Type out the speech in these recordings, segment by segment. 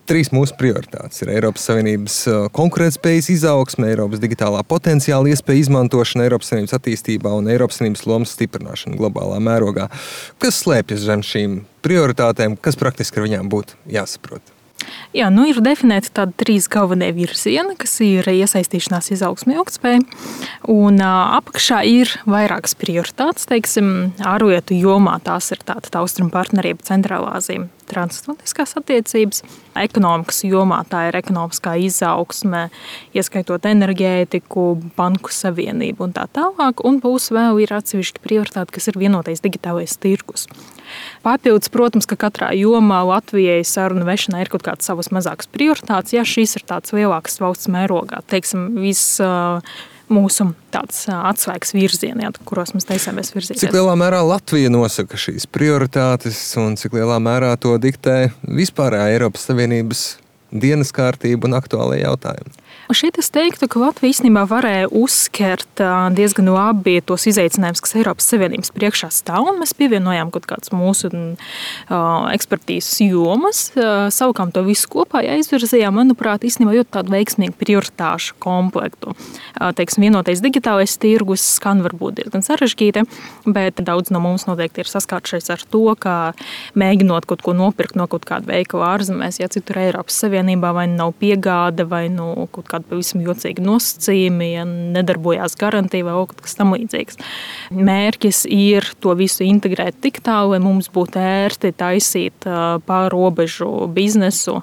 3 mūsu prioritātes ir Eiropas Savienības konkurētspējas izaugsme, Eiropas digitālā potenciāla iespēja izmantošana Eiropas Savienības attīstībā un Eiropas Savienības lomas stiprināšana globālā mērogā. Kas slēpjas zem šīm prioritātēm, kas praktiski ar viņām būtu jāsaprot? Jā, ir definēti tādi 3 galvenie virzieni, kas ir iesaistīšanās, izaugsme, ilgtspēja. Un apakšā ir vairākas prioritātes, teiksim, ārlietu jomā. Tās ir tāda austrumu partnerība, Centrālā Azija, transatlantiskās attiecības. Ekonomikas jomā tā ir ekonomiskā izaugsme, ieskaitot enerģētiku, banku savienību un tā tālāk. Un būs vēl ir atsevišķi prioritāti, kas ir vienotais digitālais tirgus. Papildus, protams, ka katrā jomā Latvijai sarunu vešanai ir kaut kādas savas mazākas prioritātes, ja šīs ir tādas lielākas valsts mērogā. Teiksim, viss mūsu tāds atslēgas virzieni, kuros mēs taisāmies virzīties. Cik lielā mērā Latvija nosaka šīs prioritātes un cik lielā mērā to diktē vispārējā Eiropas Savienības dienas kārtība un aktuālie jautājumi? Un šeit es teiktu, ka Latvija īstenībā varēja uzskert diezgan labi tos izaicinājumus, kas Eiropas Savienības priekšā stāv, un mēs pievienojām kaut kādas mūsu ekspertīzes jomas, savukārt to visu kopā izvirzījām, manuprāt, īstenībā ļoti tādu veiksmīgu prioritāšu komplektu. Teiksim, vienotais digitālais tirgus skan varbūt diezgan sarežģīti, bet daudz no mums noteikti ir saskārušies ar to, ka mēģinot kaut ko nopirkt no kaut kāda veikala ārzemēs, ja citur Eiropas Savienībā vai nav piegāde vai kaut kāda pavisam jocīga nosacījumi, ja nedarbojās garantija vai kaut kas tam līdzīgs. Mērķis ir to visu integrēt tik tālu, lai mums būtu ērti taisīt pārrobežu biznesu,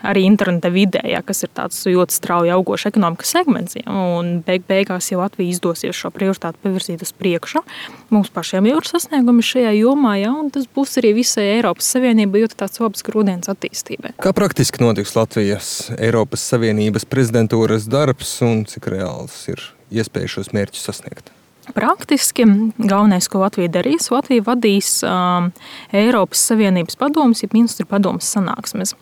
arī interneta vidē, kas ir tāds ļoti strauji augošs ekonomikas segments. Un beigās, ja Latvija izdosies šo prioritāti pavirzīt uz priekšu, mums pašiem jau ir sasniegumi šajā jomā, un tas būs arī visai Eiropas Savienībai ļoti tāds labs grūdienis attīstībai. Kā praktiski notiks Latvijas Eiropas Savienības prezidentūras darbs un cik reāls ir iespēja šos mērķus sasniegt? Praktiski galvenais, ko Latvija darīs, Latvija vadīs Eiropas Savienības padomes, ja ministru padomes sanāksmes,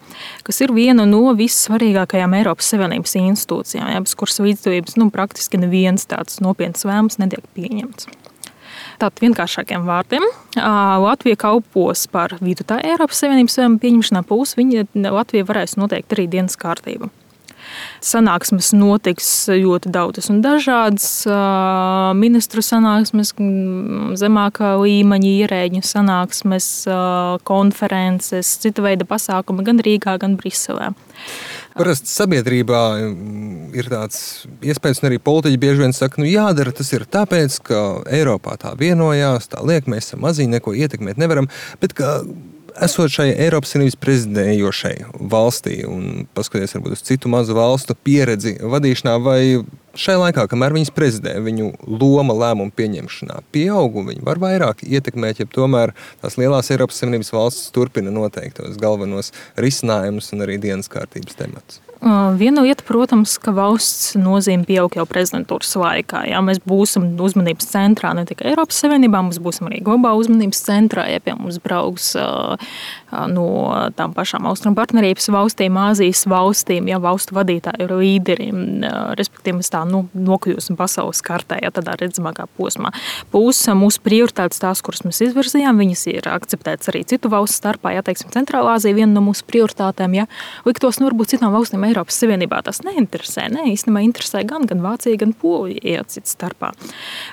kas ir viena no vissvarīgākajām Eiropas Savienības institūcijām, bez kuras līdzdalības praktiski neviens tāds nopietns lēmums netiek pieņemts. Tātad vienkāršākiem vārdiem, Latvija kalpos par vidutāju Eiropas Savienības lēmumu pieņemšanā, plus Latvija varēs noteikt arī dienas kārtību. Sanāksmes notiks ļoti daudzas un dažādas, ministru sanāksmes, zemākā līmeņa ierēģu sanāksmes, konferences, cita veida pasākumi gan Rīgā, gan Briselē. Parasti sabiedrībā ir tāds iespējas, un arī politiķi bieži vien saka, jādara tas ir tāpēc, ka Eiropā tā vienojās, tā liek, mēs esam maziņi, neko ietekmēt nevaram, bet ka esot šai Eiropas Savienības prezidējošai valstī un paskaties varbūt uz citu mazu valstu pieredzi vadīšanā, vai šai laikā, kamēr viņas prezidē, viņu loma lēmumu pieņemšanā pieaug un viņi var vairāk ietekmēt, ja tomēr tās lielās Eiropas Savienības valstis turpina noteiktos galvenos risinājumus un arī dienas kārtības tematus? Viena lieta, protams, ka valsts nozīme pieaug jau prezidentūras laikā. Mēs būsim uzmanības centrā ne tikai Eiropas Savienībā, mēs būsim arī globāla uzmanības centrā, ja pie mums brauks no tām pašām austrumu partnerības valstīm, Āzijas valstīm, valstu vadītāju līderi, respektīvi mēs tā nokļūsim pasaules kartē, tādā redzamākā posmā. Plus mūsu prioritātes tās, kuras mēs izvirzījām, viņas ir akceptētas arī citu valstu starpā, teiksim, Centrālā Azija viena no mūsu prioritātēm, liktos, varbūt citām valstīm Eiropas Savienībā tas neinteresē. Īstenībā interesē gan Vācija, gan Polija cits starpā.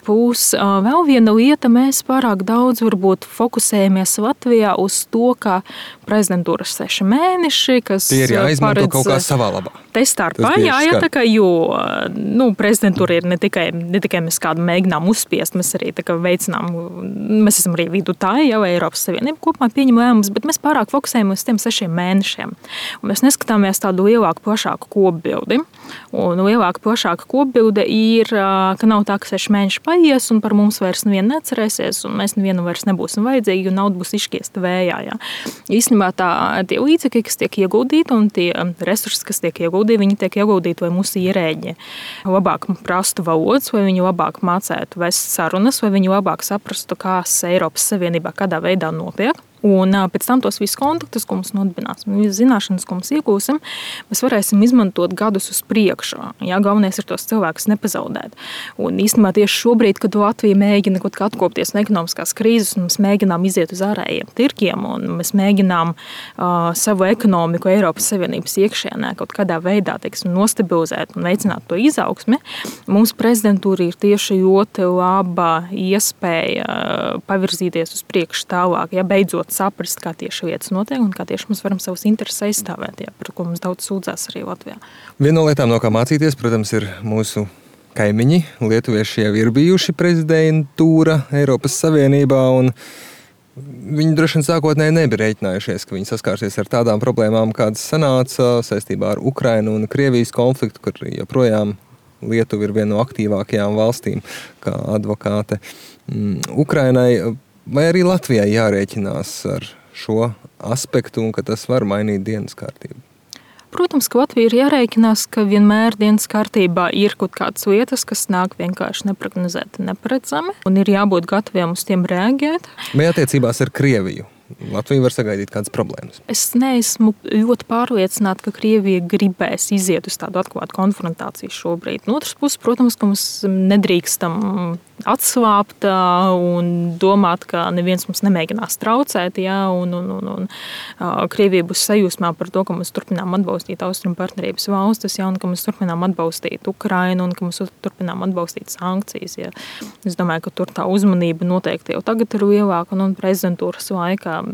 Plus vēl viena lieta, mēs pārāk daudz varbūt fokusējamies Latvijā uz to, ka prezidentūras 6 mēneši, kas tie ir jāizmanto kaut kā savā labā. Te starpā, tā kā, jo prezidentūra ir ne tikai mēs kādu mēģinām uzspiest, mēs arī veicinām, mēs esam arī vidutāji, Eiropas Savienība kopumā pieņem lēmumus, bet mēs pārāk fokusējamies uz tiem 6 mēnešiem. Un mēs neskatāmies tādu lielāku, plašāku kopbildi. Un lielāka, plašāka kopbilde ir, ka nav tā, ka 6 mēneši paies un par mums vairs nevienu neatcerēsies un mēs nevienam vairs nebūsim vajadzīgi, jo nauda būs izšķiesta vējā. Īstenībā tie līdzekļi, kas tiek ieguldīti un tie resursi, kas tiek ieguldīti, viņi tiek ieguldīti, lai mūsu ierēģi labāk prastu valodas, vai viņi labāk mācētu vest sarunas, vai viņi labāk saprastu, kas Eiropas Savienībā kādā veidā notiek. Un pēc tam tos visus kontaktus, ko mums nodibināsim, visas zināšanas, ko mums iegūsim, mēs varēsim izmantot gadus uz priekšu. Jā, galvenais ir tos cilvēkus nepazaudēt. Un īstenībā tieši šobrīd, kad Latvija mēģina kaut kā atkopties no ekonomiskās krīzes, un mēs mēģinām iziet uz ārējiem tirkiem, un mēs mēģinām savu ekonomiku Eiropas Savienības iekšienē kaut kādā veidā, teiksim, nostabilizēt un veicināt to izaugsmi, mums prezidentūra ir tieši ļoti laba iespēja pavirzīties uz priekšu tālāk, ja beidzot saprast, kā tieši lietas notiek un kā tieši mēs varam savus intereses aizstāvēt, par ko mums daudz sūdzās arī Latvijā. Viena no lietām, no kā mācīties, protams, ir mūsu kaimiņi. Lietuvieši jau ir bijuši prezidentūra Eiropas Savienībā, un viņi droši vien sākotnēji nebija rēķinājušies, ka viņi saskārsies ar tādām problēmām, kādas sanāca saistībā ar Ukrainu un Krievijas konfliktu, kur joprojām Lietuva ir viena no aktīvākajām valstīm kā advokāte Ukrainai. Vai arī Latvijai jārēķinās ar šo aspektu un ka tas var mainīt dienas kārtību? Protams, ka Latvija ir jārēķinās, ka vienmēr dienas kārtībā ir kaut kādas lietas, kas nāk vienkārši neprognozēti, neparedzami, un ir jābūt gataviem uz tiem reaģēt. Vai attiecībās ar Krieviju Latvija var sagaidīt kādas problēmas? Es neesmu ļoti pārliecināta, ka Krievija gribēs iziet uz tādu atklātu konfrontāciju šobrīd. No otras puses, protams, ka mums nedrīkstam atslābt un domāt, ka neviens mums nemēģinās traucēt, un Krievija būs sajūsmā par to, ka mēs turpinām atbalstīt Austrumu partnerības valstis, un ka mēs turpinām atbalstīt Ukrainu, un ka mēs turpinām atbalstīt sankcijas. Ja. Es domāju, ka tur tā uzmanība noteikti jau tagad ir lielāka, un prezidentūras laikā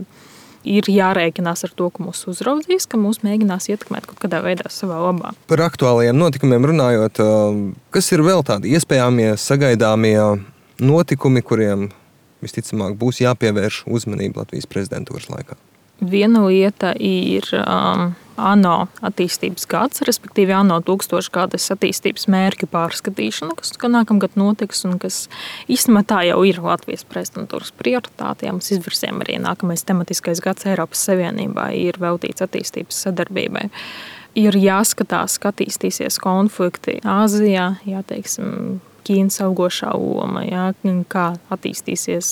ir jārēķinās ar to, ka mūs uzraudzīs, ka mūs mēģinās ietekmēt kaut kādā veidā savā labā. Par aktuālajiem notikumiem runājot, kas ir vēl tādi iespējamie, sagaidāmie notikumi, kuriem visticamāk būs jāpievērš uzmanība Latvijas prezidentūras laikā? Viena lieta ir ANO attīstības gads, respektīvi ANO 1000 gadas attīstības mērķu pārskatīšana, kas nākamgad notiks un kas īstenībā tā jau ir Latvijas prezidentūras prioritāte. Ja mēs izvirsiem arī nākamais tematiskais gads Eiropas Savienībā ir veltīts attīstības sadarbībai. Ir jāskatās, ka attīstīsies konflikti Āzijā, teiksim, Ķīnas augošā loma, kā attīstīsies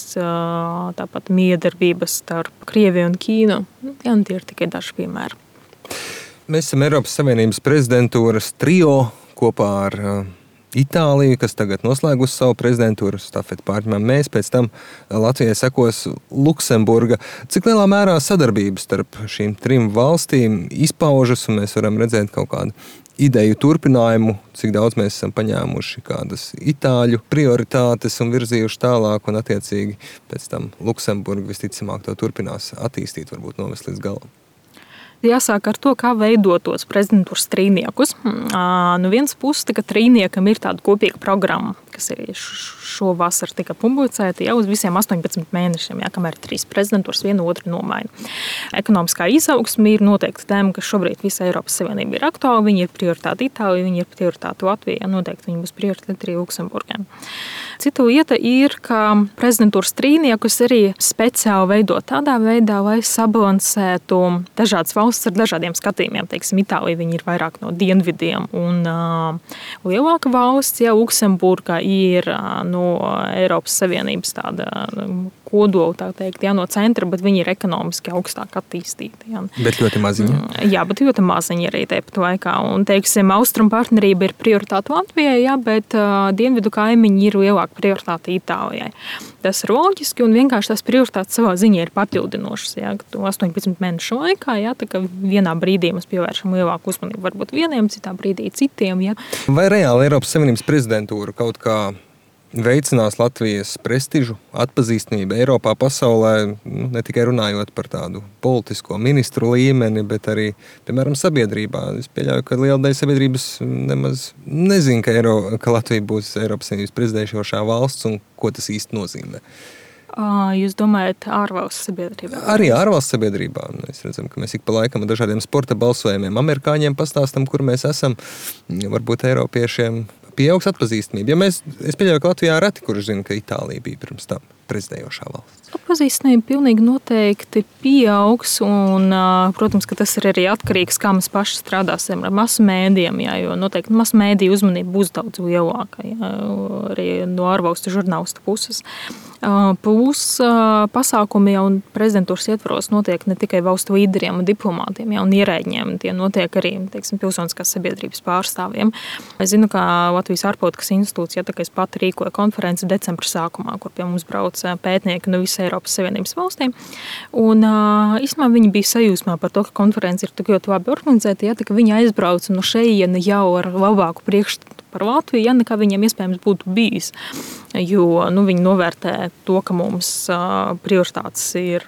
tāpat miedarbības starp Krieviju un Ķīnu. Tie ir tikai daži piemēri. Mēs esam Eiropas Savienības prezidentūras trio kopā ar Itāliju, kas tagad noslēgusi savu prezidentūru, stafeti pārņemam mēs, pēc tam Latvijai sekos Luksemburga. Cik lielā mērā sadarbības starp šīm trim valstīm izpaužas, un mēs varam redzēt kaut kādu ideju turpinājumu, cik daudz mēs esam paņēmuši kādas itāļu prioritātes un virzījuši tālāk, un attiecīgi pēc tam Luksemburga visticamāk to turpinās attīstīt, varbūt novest līdz galam. Jāsāk ar to, kā veidot tos prezidentūras trīniekus. No vienas puses, ka trīniekam ir tāda kopīga programma, kas arī šo vasaru tika publicēta jau uz visiem 18 mēnešiem, kamēr 3 prezidentūras vienu otru nomaina. Ekonomiskā izaugsme ir noteikti tēma, kas šobrīd visa Eiropas Savienība ir aktuāla. Viņi ir prioritāte Itālijai, viņi ir prioritāte Latvijai, noteikti viņi būs prioritāte arī Luksemburgai. Cita lieta ir, ka prezidentūras trīniekus arī speciāli veidot tādā veidā, lai sabalansētu dažādas valsts ar dažādiem skatījumiem. Teiksim, Itālija viņi ir vairāk no dienvidiem un lielāka valsts, Luksemburga ir no Eiropas Savienības tāda kodola, tā teikt, no centra, bet viņi ir ekonomiski augstāk attīstīti. Bet ļoti maziņi. Jā, bet ļoti maziņi arī tāpat laikā. Un, teiksim, Austrumu partnerība ir prioritāte Latvijai, bet dienvidu kaimiņi ir lielāka prioritāte Itālijai. Tas ir loģiski un vienkārši tās prioritātes savā ziņā ir papildinošas. 18 mēnešu laikā, tā kā vienā brīdī mēs pievēršam lielāku uzmanību varbūt vieniem, citā brīdī citiem. Vai reāli Eiropas Savienības prezidentūra kaut kā veicinās Latvijas prestižu, atpazīstamību Eiropā, pasaulē, ne tikai runājot par tādu politisko ministru līmeni, bet arī, piemēram, sabiedrībā? Es pieļauju, ka liela daļa sabiedrības nemaz nezina, ka Latvija būs Eiropas Savienības prezidējošā valsts un ko tas īsti nozīmē. Jūs domājat ārvalstu sabiedrībā? Arī ārvalstu sabiedrībā. Mēs redzam, ka mēs ik pa laikam ar dažādiem sporta balsojumiem amerikāņiem pastāstam, kur mēs esam. Varbūt eiropiešiem pieaugs atpazīstamība. Es pieļauju, ka Latvijā reti, kurš zina, ka Itālija bija pirms tam. prezidējošā valsts? Atpazīstamība pilnīgi noteikti pieaugs, un, protams, ka tas ir arī atkarīgs, kā mēs paši strādāsim ar masu mēdījiem, jā, jo noteikti masu mēdīju uzmanība būs daudz lielāka, jā, arī no ārvalstu žurnālistu puses. Plus pasākumi jau prezidentūras ietvaros notiek ne tikai valstu līderiem un diplomātiem, ja, un ierēģiem, tie notiek arī, teiksim, pilsoniskās sabiedrības pārstāvjiem. Es zinu, ka Latvijas ārpolitikas institūts, ja tā kā es pati rīkoju konferenci decembra sākumā, kur pie mums brauc pētnieki no visas Eiropas Savienības valstīm. Un īstenībā viņi bija sajūsmā par to, ka konferenci ir tik ļoti labi organizēta, ja, tā ka viņi aizbrauca no šejiena jau ar labāku priekšstatu par Latviju, ja nekā viņiem iespējams būtu bijis. Jo viņi novērtē to, ka mums prioritātes ir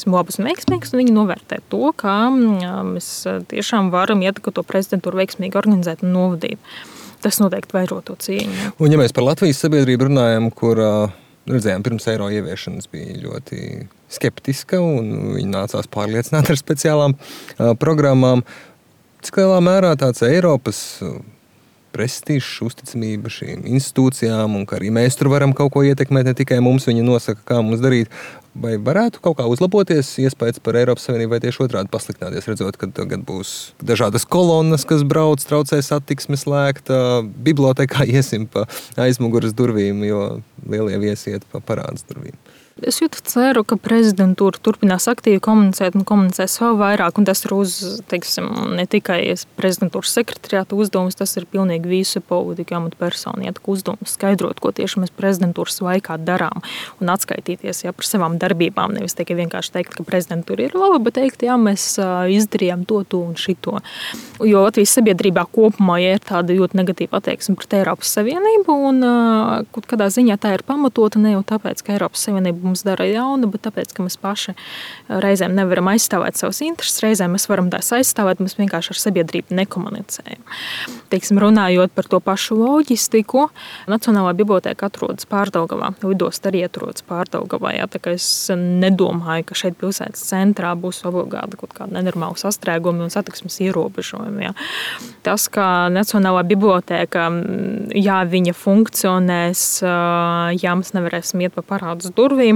labas un veiksmīgas, un viņi novērtē to, ka mēs tiešām varam ietekmēt to prezidentūru veiksmīgi organizēt un novadīt. Tas noteikti vairo to cieņu. Un ja mēs par Latvijas sabiedrību runājam, kur redzējām, pirms eiro ieviešanas bija ļoti skeptiska, un viņi nācās pārliecināt ar speciālām programmām, cik lielā mērā tāds Eiropas prestižs, uzticamība šīm institūcijām, un ka arī mēs tur varam kaut ko ietekmēt, ne tikai mums viņi nosaka, kā mums darīt. Vai varētu kaut kā uzlaboties iespējas par Eiropas Savienību, vai tieši otrādi pasliktināties, redzot, ka tagad būs dažādas kolonnas, kas brauc, traucē satiksmi slēgta, bibliotekā iesim pa aizmuguras durvīm, jo lielie viesi iet pa parādas durvīm? Es ceru, ka prezidentūra turpinās aktīvi komunicēt un komunicēs vēl vairāk. Un tas ir ne tikai prezidentūras sekretariāta uzdevums, tas ir pilnīgi visu politiku amatpersonu uzdevums skaidrot, ko tieši mēs prezidentūras laikā darām un atskaitīties par savām darbībām. Nevis tikai vienkārši teikt, ka prezidentūra ir laba, bet teikt, jā, mēs izdarījām to un šito. Jo Latvijas sabiedrībā kopumā ir tāda ļoti negatīva attieksme pret Eiropas Savienību, un kaut kādā ziņā tā ir pamatota ne jau tāpēc, ka Eiropas Savienība mums dara jaunu, bet tāpēc, ka mēs paši reizēm nevaram aizstāvēt savas intereses, reizēm mēs varam tās aizstāvēt, mēs vienkārši ar sabiedrību nekomunicējam. Runājot par to pašu loģistiku, Nacionālā bibliotēka atrodas Pārdaugavā, lidosta arī atrodas Pārdaugavā. Jā, tā kā es nedomāju, ka šeit pilsētas centrā būs obligāti kaut kāda nenormāla sastrēgumi un satiksmes ierobežojumi. Jā. Tas, ka Nacionālā bibliotēka, jā, viņa funkcionēs, jā, mēs nevarēsim iet pa parādas durvīm,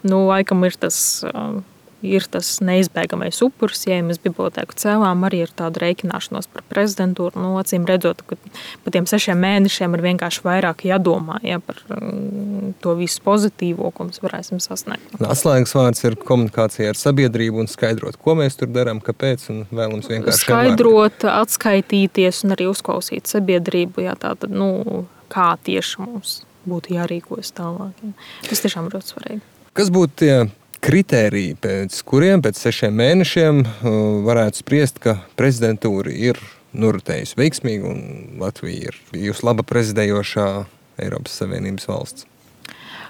laikam ir tas neizbēgamais upuris, ja mēs bibliotēku cēlām, arī ir tāda rēķināšanos par prezidentūru. Acīm redzot, ka pa tiem 6 mēnešiem ir vienkārši vairāk jādomā par to visu pozitīvo, ko mēs varēsim sasniegt. Atslēgas vārds ir komunikācija ar sabiedrību un skaidrot, ko mēs tur darām, kāpēc, un vēlams vienkārši skaidrot, atskaitīties un arī uzklausīt sabiedrību, jā, tātad, kā tieši mums būtu jārīkojas tālāk. Jā. Tas tiešām ir ļoti svarīgi. Kas būtu tie kritēriji, pēc kuriem pēc 6 mēnešiem varētu spriest, ka prezidentūra ir noritējusi veiksmīgi un Latvija ir bijusi laba prezidējošā Eiropas Savienības valsts?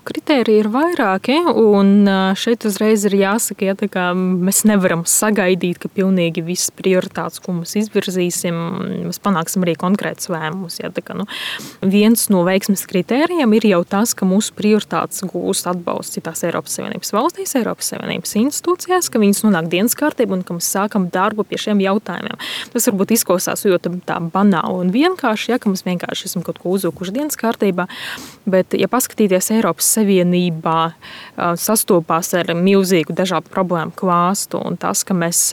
Kritēriji ir vairāki, un šeit uzreiz ir jāsaka, ja, ka mēs nevaram sagaidīt, ka pilnīgi visas prioritātes, ko mēs izvirzīsim, mēs panāksim arī konkrētus lēmumus. Ja, viens no veiksmes kritērijiem ir jau tas, ka mūsu prioritātes gūst atbalstu citās Eiropas Savienības valstīs, Eiropas Savienības institūcijās, ka viņas nonāk dienas kārtībā un ka mēs sākam darbu pie šiem jautājumiem. Tas varbūt izklausās ļoti tā banāli un vienkārši, ja, ka mēs vienkārši esam kaut ko uzvilkuši dienas kārtībā, bet, ja paskatīties Eiropas Savienībā sastopās ar milzīgu dažādu problēmu klāstu, un tas, ka mēs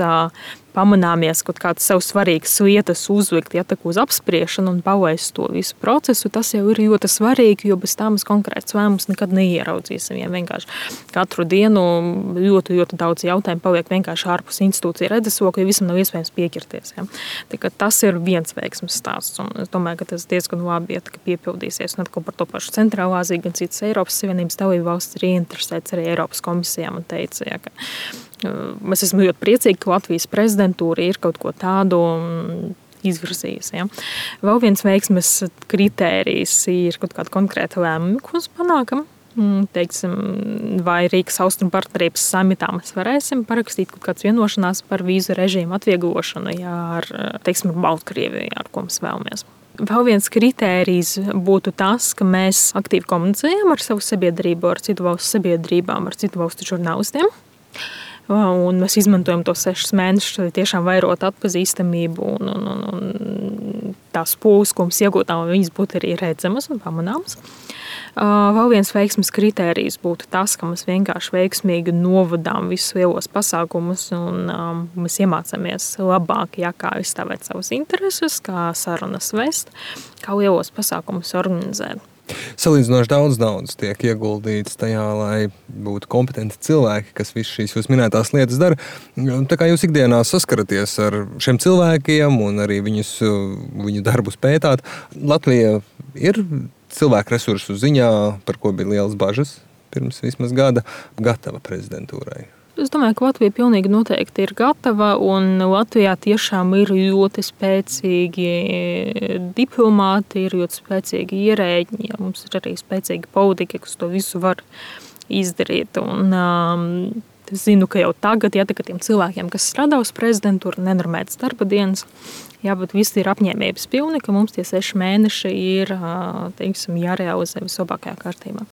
pamanāmies kaut kādas sev svarīgas lietas uzlikt, ja, uz apspriešanu un palaist to visu procesu, tas jau ir ļoti svarīgi, jo bez tā mēs konkrēts lēmumus nekad neieraudzīsim. Ja vienkārši katru dienu ļoti, ļoti daudz jautājumu paliek vienkārši ārpus institūcija redzesloka, jo visam nav iespējams piekirties. Ja. Tas ir viens veiksmes stāsts, un es domāju, ka tas diezgan labi piepildīsies. Un atkal par to pašu Centrālā Aziju, gan citas Eiropas Savienības dalību valstis ir ieinteresēts arī Eiropas komisijām un teica, ja, ka mēs esam ļoti priecīgi, ka Latvijas prezidentūra ir kaut ko tādu izvirzījusi. Ja. Vēl viens veiksmes kritērijs ir kaut kāda konkrēta lēmuma, ko mēs panākam. Teiksim, vai Rīgas austrumu partnerības samitā mēs varēsim parakstīt kaut kādas vienošanās par vīzu režīmu atvieglošanu, ja, ar Baltkrieviju, ar ko mēs vēlamies. Vēl viens kritērijs būtu tas, ka mēs aktīvi komunicējam ar savu sabiedrību, ar citu valstu sabiedrībām, ar citu valstu žurnālistiem. Un mēs izmantojam tos 6 mēnešus, lai tiešām vairot atpazīstamību un tās pūles, ko mums iegūtām, viņas būtu arī redzamas un pamanāmas. Vēl viens veiksmes kritērijs būtu tas, ka mēs vienkārši veiksmīgi novadām visus lielos pasākumus un mēs iemācāmies labāk, kā izstāvēt savas intereses, kā sarunas vest, kā lielos pasākumus organizēt. Salīdzinoši daudz naudas tiek ieguldīts tajā, lai būtu kompetenti cilvēki, kas visas šīs jūs minētās lietas dara. Tā kā jūs ikdienā saskaraties ar šiem cilvēkiem un arī viņu darbus pētāt, Latvija ir cilvēku resursu ziņā, par ko bija lielas bažas pirms vismaz gada, gatava prezidentūrai? Es domāju, ka Latvija pilnīgi noteikti ir gatava, un Latvijā tiešām ir ļoti spēcīgi diplomāti, ir ļoti spēcīgi ierēģi, mums ir arī spēcīgi politiķi, kas to visu var izdarīt. Un, es zinu, ka jau tagad, tiem cilvēkiem, kas strādā uz prezidentūru, nenormētas darba dienas, bet visi ir apņēmības pilni, ka mums tie 6 mēneši ir, teiksim, jārealizē vislabākajā kārtībā.